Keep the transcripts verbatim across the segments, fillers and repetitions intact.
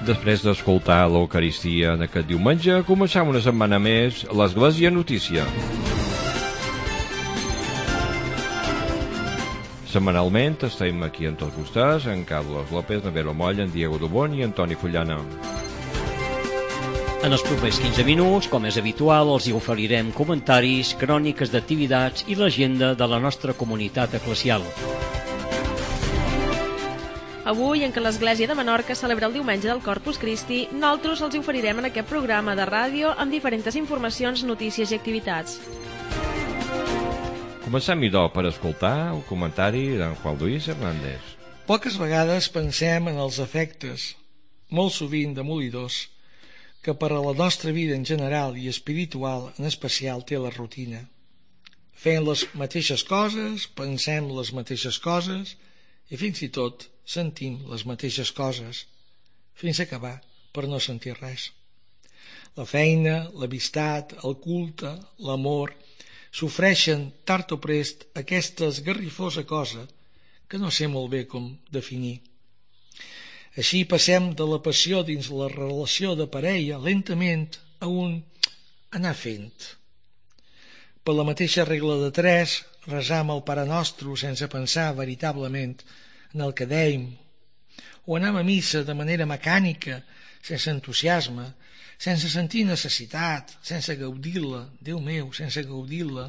Després d'escoltar l'Eucaristia en aquest diumenge, començam una setmana més l'Església Notícia. Setmanalment estem aquí en tots vostès, en Carlos López, en Vero Moll, en Diego Dubón i en Toni Fullana. En els propers quinze minuts, com és habitual, els hi oferirem comentaris, cròniques d'activitats i l'agenda de la nostra comunitat eclesial. Avui, en què l'Església de Menorca celebra el diumenge del Corpus Christi, nosaltres els oferirem en aquest programa de ràdio amb diferents informacions, notícies i activitats. Comencem, idò, per escoltar el comentari d'en Juan Luis Hernández. Poques vegades pensem en els efectes, molt sovint demolidors, que per a la nostra vida en general i espiritual en especial té la rutina. Fem les mateixes coses, pensem les mateixes coses i fins i tot sentim les mateixes coses, fins a acabar per no sentir res. La feina, l'amistat, el culte, l'amor, sofreixen tard o prest aquesta esgarrifosa cosa que no sé molt bé com definir. Així passem de la passió dins la relació de parella lentament a un anar fent. Per la mateixa regla de tres, resam el Pare Nostre sense pensar veritablement en el que dèiem, o anem a missa de manera mecànica, sense entusiasme, sense sentir necessitat, sense gaudir-la, Déu meu, sense gaudir-la.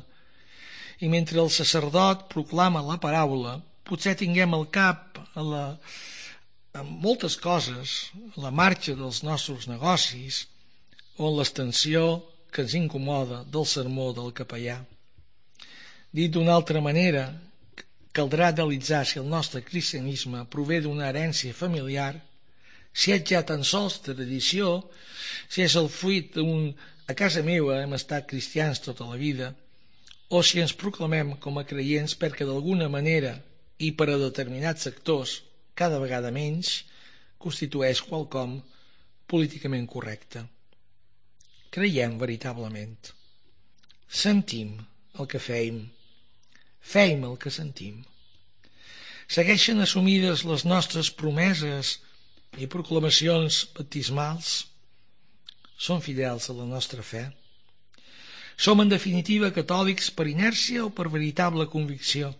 I mentre el sacerdot proclama la paraula, potser tinguem al cap a, la, a moltes coses, la marxa dels nostres negocis o l'extensió que ens incomoda del sermó del capellà. Dit d'una altra manera, caldrà analitzar si el nostre cristianisme prové d'una herència familiar, si és ja tan sols tradició, si és el fruit d'un a casa meva hem estat cristians tota la vida, o si ens proclamem com a creients perquè d'alguna manera i per a determinats sectors, cada vegada menys, constitueix quelcom políticament correcte. Creiem veritablement. Sentim el que feim. Feim el que sentim. Segueixen assumides les nostres promeses i proclamacions baptismals? Són fidels a la nostra fe? Som en definitiva catòlics per inèrcia o per veritable convicció?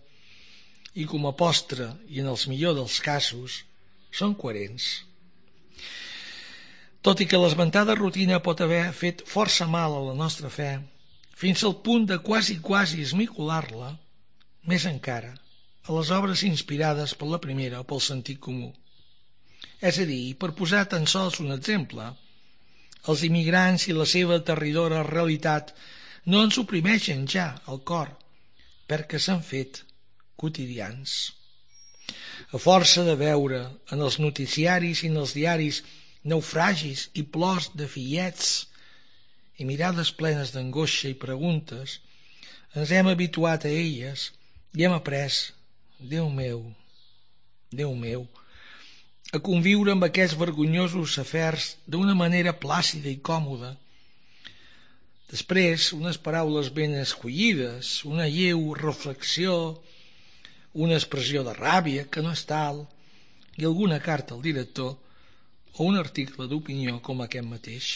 I com a postre, i en els millors dels casos, són coherents. Tot i que l'esmentada rutina pot haver fet força mal a la nostra fe, fins al punt de quasi quasi esmicolar-la, més encara, a les obres inspirades per la primera o pel sentit comú. És a dir, per posar tan sols un exemple, els immigrants i la seva aterridora realitat no ens oprimeixen ja al cor, perquè s'han fet quotidians. A força de veure en els noticiaris i en els diaris naufragis i plors de fillets i mirades plenes d'angoixa i preguntes, ens hem habituat a elles i hem après, Déu meu, Déu meu, a conviure amb aquests vergonyosos afers d'una manera plàcida i còmoda. Després, unes paraules ben escollides, una lleu reflexió, una expressió de ràbia, que no és tal, i alguna carta al director o un article d'opinió com aquest mateix.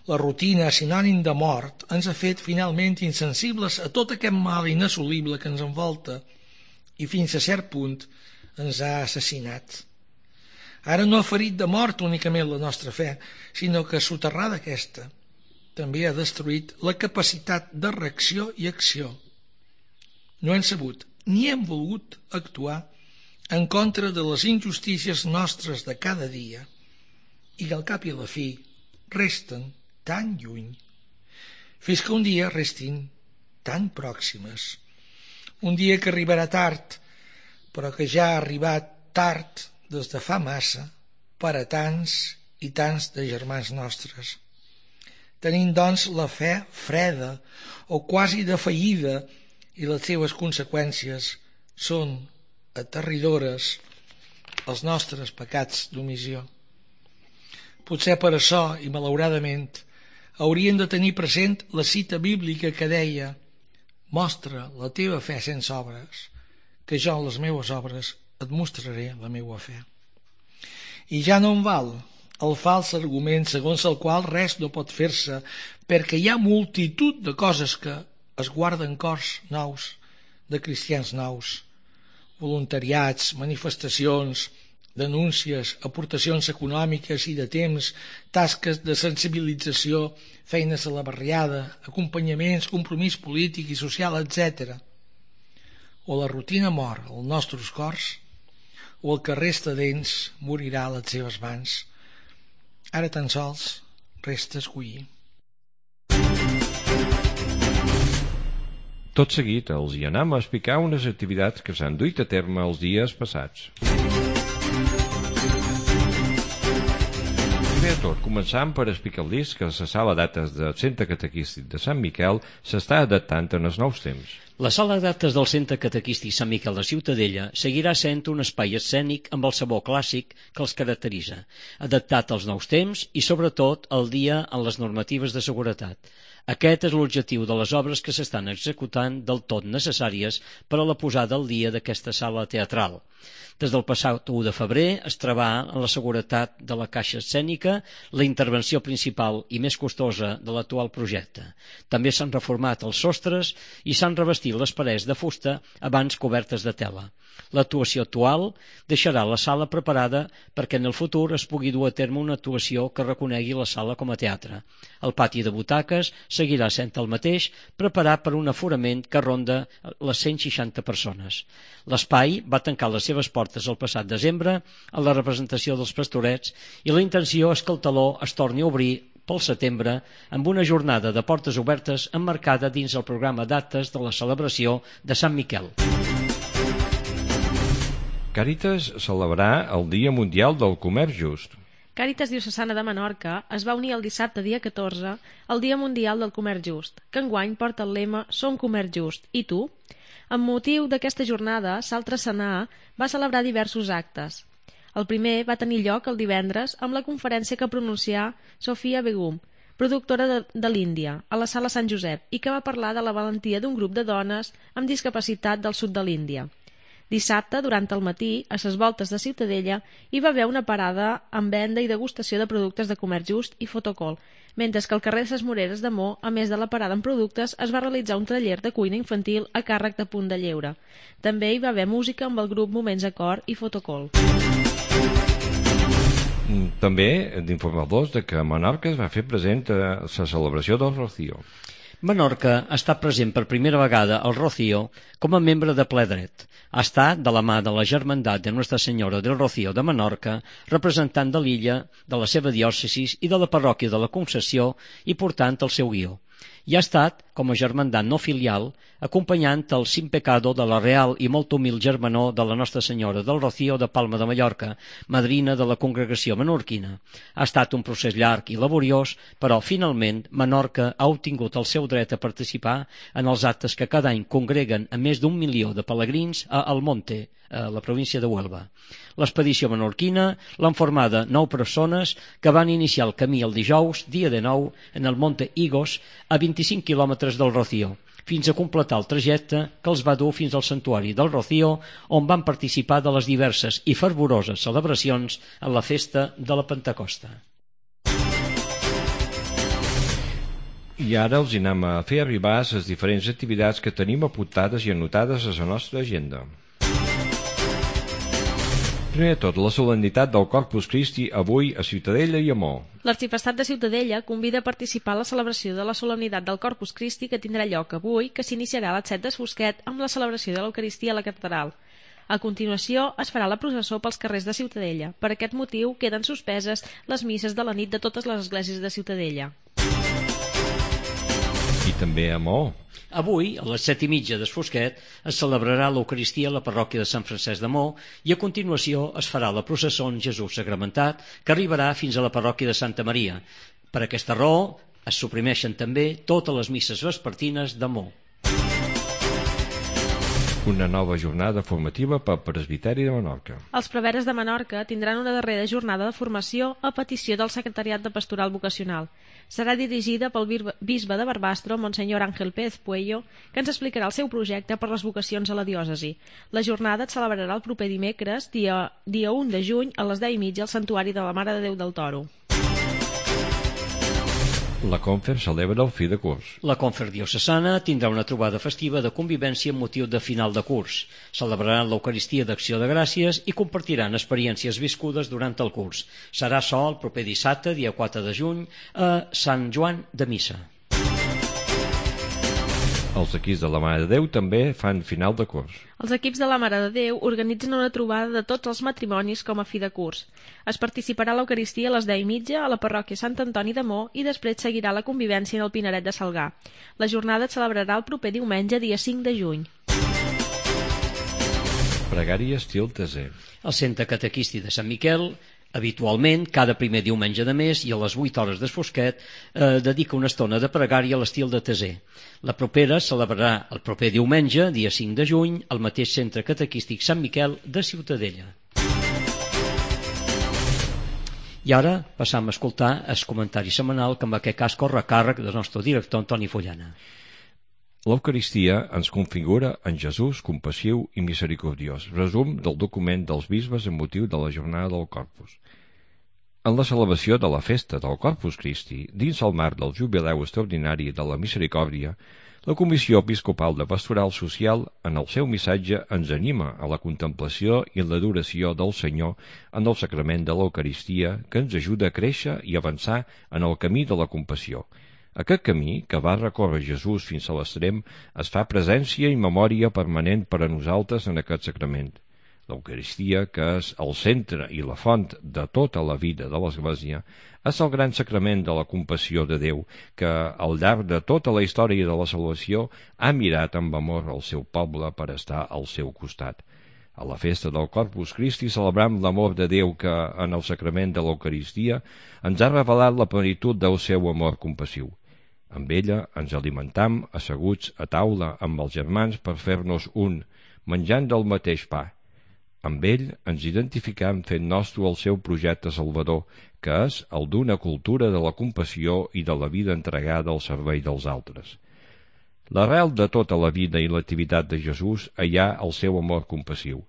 La rutina, sinònim de mort, ens ha fet finalment insensibles a tot aquest mal inassolible que ens envolta i fins a cert punt ens ha assassinat. Ara no ha ferit de mort únicament la nostra fe, sinó que soterrada aquesta també ha destruït la capacitat de reacció i acció. No hem sabut ni hem volgut actuar en contra de les injustícies nostres de cada dia i que al cap i a la fi resten tan lluny, fins que un dia restin tan pròximes. Un dia que arribarà tard, però que ja ha arribat tard des de fa massa per a tants i tants de germans nostres. Tenim, doncs, la fe freda o quasi defallida i les seves conseqüències són aterridores els nostres pecats d'omissió. Potser per això, i malauradament, haurien de tenir present la cita bíblica que deia: mostra la teva fe sense obres, que jo en les meves obres et mostraré la meua fe. I ja no en val el fals argument segons el qual res no pot fer-se perquè hi ha multitud de coses que es guarden cors nous, de cristians nous, voluntariats, manifestacions, denúncies, aportacions econòmiques i de temps, tasques de sensibilització, feines a la barriada, acompanyaments, compromís polític i social, etcètera. O la rutina mor als nostres cors, o el que resta d'ells morirà a les seves mans. Ara tan sols resta escollir. Tot seguit els hi anem a explicar unes activitats que s'han duit a terme els dies passats. Primer de tot, començant per explicar-los que la sala d'actes del Centre Catequístic de Sant Miquel s'està adaptant en els nous temps. La sala d'actes del Centre Catequístic Sant Miquel de Ciutadella seguirà sent un espai escènic amb el sabor clàssic que els caracteritza, adaptat als nous temps i, sobretot, al dia en les normatives de seguretat. Aquest és l'objectiu de les obres que s'estan executant del tot necessàries per a la posada al dia d'aquesta sala teatral. Des del passat u de febrer es trebà en la seguretat de la caixa escènica, la intervenció principal i més costosa de l'actual projecte. També s'han reformat els sostres i s'han revestit les parets de fusta abans cobertes de tela. L'actuació actual deixarà la sala preparada perquè en el futur es pugui dur a terme una actuació que reconegui la sala com a teatre. El pati de butaques seguirà sent el mateix, preparat per un aforament que ronda les cent seixanta persones. L'espai va tancar les seves portes el passat desembre a la representació dels Pastorets i la intenció és que el teló es torni a obrir pel setembre amb una jornada de portes obertes emmarcada dins el programa d'actes de la celebració de Sant Miquel. Càritas celebrarà el Dia Mundial del Comerç Just. Càritas Diocesana de Menorca es va unir el dissabte dia catorze al Dia Mundial del Comerç Just, que enguany porta el lema Som Comerç Just. I tu? Amb motiu d'aquesta jornada, Saltre Sanà va celebrar diversos actes. El primer va tenir lloc el divendres amb la conferència que pronuncià Sofia Begum, productora de, de l'Índia, a la Sala Sant Josep, i que va parlar de la valentia d'un grup de dones amb discapacitat del sud de l'Índia. Dissabte, durant el matí, a ses voltes de Ciutadella, hi va haver una parada amb venda i degustació de productes de comerç just i fotocol, mentre que al carrer de ses Moreres de Mo, a més de la parada amb productes, es va realitzar un taller de cuina infantil a càrrec de Punt de Lleure. També hi va haver música amb el grup Moments Acord i Fotocol. També d'informar-los que Menorca es va fer present a la celebració del Rocío. Menorca ha estat present per primera vegada al Rocío com a membre de ple dret. Ha estat de la mà de la Germandat de Nostra Senyora del Rocío de Menorca, representant de l'illa, de la seva diòcesis i de la parròquia de la Concessió i portant el seu guió. I ha estat, com a germandat no filial, acompanyant el Sin Pecado de la Real i molt humil germanor de la Nostra Senyora del Rocío de Palma de Mallorca, madrina de la congregació menorquina. Ha estat un procés llarg i laboriós, però finalment Menorca ha obtingut el seu dret a participar en els actes que cada any congreguen a més d'un milió de pelegrins a Almonte, a la província de Huelva. L'expedició menorquina l'han formada nou persones que van iniciar el camí el dijous, dia de nou, en el Monte Higos, a vint-i-cinc quilòmetres del Rocío, fins a completar el trajecte que els va dur fins al santuari del Rocío, on van participar de les diverses i fervoroses celebracions en la festa de la Pentecosta. I ara els anem a fer arribar les diferents activitats que tenim apuntades i anotades a la nostra agenda. Primer de tot, la solemnitat del Corpus Christi avui a Ciutadella i a Mo. L'Arxiprestat de Ciutadella convida a participar a la celebració de la solemnitat del Corpus Christi que tindrà lloc avui, que s'iniciarà a les set d'Esfosquet amb la celebració de l'Eucaristia a la catedral. A continuació es farà la processó pels carrers de Ciutadella. Per aquest motiu queden suspeses les misses de la nit de totes les esglésies de Ciutadella. I també a Mo. Avui, a les set i mitja d'Esfosquet, es celebrarà l'Eucaristia a la parròquia de Sant Francesc de Mo i a continuació es farà la processó en Jesús Sagramentat que arribarà fins a la parròquia de Santa Maria. Per aquesta raó es suprimeixen també totes les misses vespertines de Mo. Una nova jornada formativa pel Presbiteri de Menorca. Els preveres de Menorca tindran una darrera jornada de formació a petició del Secretariat de Pastoral Vocacional. Serà dirigida pel bisbe de Barbastro, Monsenyor Ángel Pérez Puello, que ens explicarà el seu projecte per les vocacions a la diòcesi. La jornada es celebrarà el proper dimecres, dia, dia u de juny, a les deu i mitja al Santuari de la Mare de Déu del Toro. La Confer celebra el fi de curs. La Confer diocesana tindrà una trobada festiva de convivència amb motiu de final de curs. Celebraran l'Eucaristia d'Acció de Gràcies i compartiran experiències viscudes durant el curs. Serà açò el proper dissabte, dia quatre de juny, a Sant Joan de Missa. Els equips de la Mare de Déu també fan final de curs. Els equips de la Mare de Déu organitzen una trobada de tots els matrimonis com a fi de curs. Es participarà a l'Eucaristia a les deu i mitja a la parròquia Sant Antoni de Mo i després seguirà la convivència en el Pinaret de Salgar. La jornada es celebrarà el proper diumenge, dia cinc de juny. Pregària estil Teser. El Centre Catequístic de Sant Miquel, habitualment, cada primer diumenge de mes i a les vuit hores d'esfosquet, eh, dedica una estona de pregària a l'estil de Teser. La propera es celebrarà el proper diumenge, dia cinc de juny, al mateix Centre Catequístic Sant Miquel de Ciutadella. I ara passam a escoltar el comentari setmanal que en aquest cas corre a càrrec del nostre director Antoni Follana. L'Eucaristia ens configura en Jesús compassiu i misericordiós. Resum del document dels bisbes en motiu de la jornada del Corpus. En la celebració de la festa del Corpus Christi, dins el marc del jubileu extraordinari de la misericòrdia, la Comissió Episcopal de Pastoral Social, en el seu missatge, ens anima a la contemplació i l'adoració del Senyor en el sacrament de l'Eucaristia, que ens ajuda a créixer i avançar en el camí de la compassió. Aquest camí, que va recórrer Jesús fins a l'extrem, es fa presència i memòria permanent per a nosaltres en aquest sacrament. L'Eucaristia, que és el centre i la font de tota la vida de l'Església, és el gran sacrament de la compassió de Déu, que al llarg de tota la història de la salvació ha mirat amb amor al seu poble per estar al seu costat. A la festa del Corpus Christi celebrem l'amor de Déu que, en el sacrament de l'Eucaristia, ens ha revelat la plenitud del seu amor compassiu. Amb ella ens alimentam asseguts a taula amb els germans per fer-nos un, menjant del mateix pa. Amb ell ens identificam fent nostre el seu projecte salvador, que és el d'una cultura de la compassió i de la vida entregada al servei dels altres. L'arrel de tota la vida i l'activitat de Jesús hi ha el seu amor compassiu.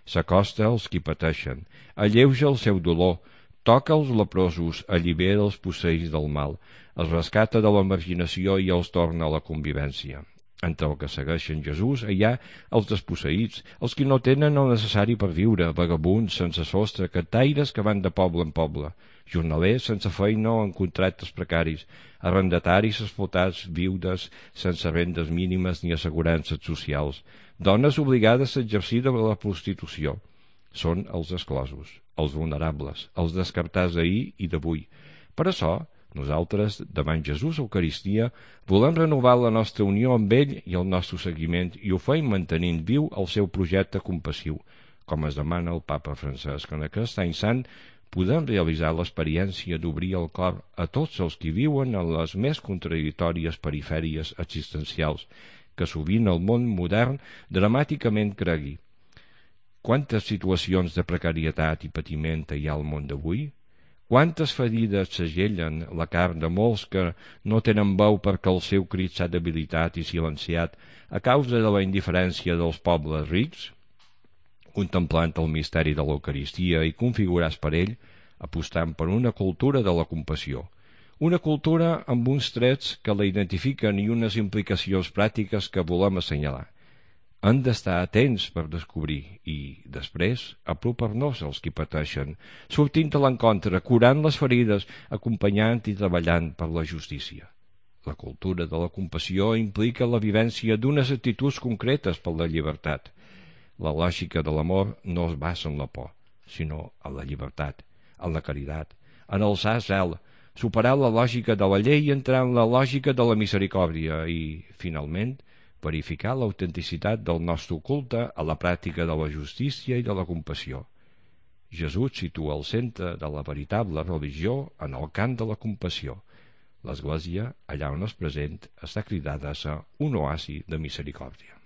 S'acosta als qui pateixen, alleuja el seu dolor, toca els leprosos, allibera els posseïts del mal, els rescata de la marginació i els torna a la convivència. Entre el que segueixen Jesús hi ha els desposseïts, els que no tenen el necessari per viure, vagabunds sense sostre, cantaires que van de poble en poble, jornalers sense feina o en contractes precaris, arrendataris explotats, viudes sense rendes mínimes ni assegurances socials, dones obligades a exercir de la prostitució. Són els exclosos, els vulnerables, els descartats d'ahir i d'avui. Per això, nosaltres, davant Jesús Eucaristia, volem renovar la nostra unió amb ell i el nostre seguiment i ho feim mantenint viu el seu projecte compassiu, com es demana el papa Francesc. En aquest any sant podem realitzar l'experiència d'obrir el cor a tots els que viuen en les més contradictòries perifèries existencials, que sovint el món modern dramàticament cregui. Quantes situacions de precarietat i patiment hi ha al món d'avui? Quantes ferides segellen la carn de molts que no tenen veu perquè el seu crit s'ha debilitat i silenciat a causa de la indiferència dels pobles rics? Contemplant el misteri de l'Eucaristia i configurats per ell, apostant per una cultura de la compassió. Una cultura amb uns trets que la identifiquen i unes implicacions pràctiques que volem assenyalar. Han d'estar atents per descobrir i, després, apropar-nos als qui pateixen, sortint a l'encontre, curant les ferides, acompanyant i treballant per la justícia. La cultura de la compassió implica la vivència d'unes actituds concretes per la llibertat. La lògica de l'amor no es basa en la por, sinó en la llibertat, en la caritat, en alçar zel, superar la lògica de la llei i entrar en la lògica de la misericòrdia i, finalment, verificar l'autenticitat del nostre culte a la pràctica de la justícia i de la compassió. Jesús situa el centre de la veritable religió en el camp de la compassió. L'Església, allà on és present, està cridada a ser un oasi de misericòrdia.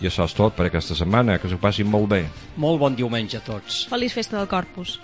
I això és tot per aquesta setmana, que s'ho passin molt bé. Molt bon diumenge a tots. Feliç festa del Corpus.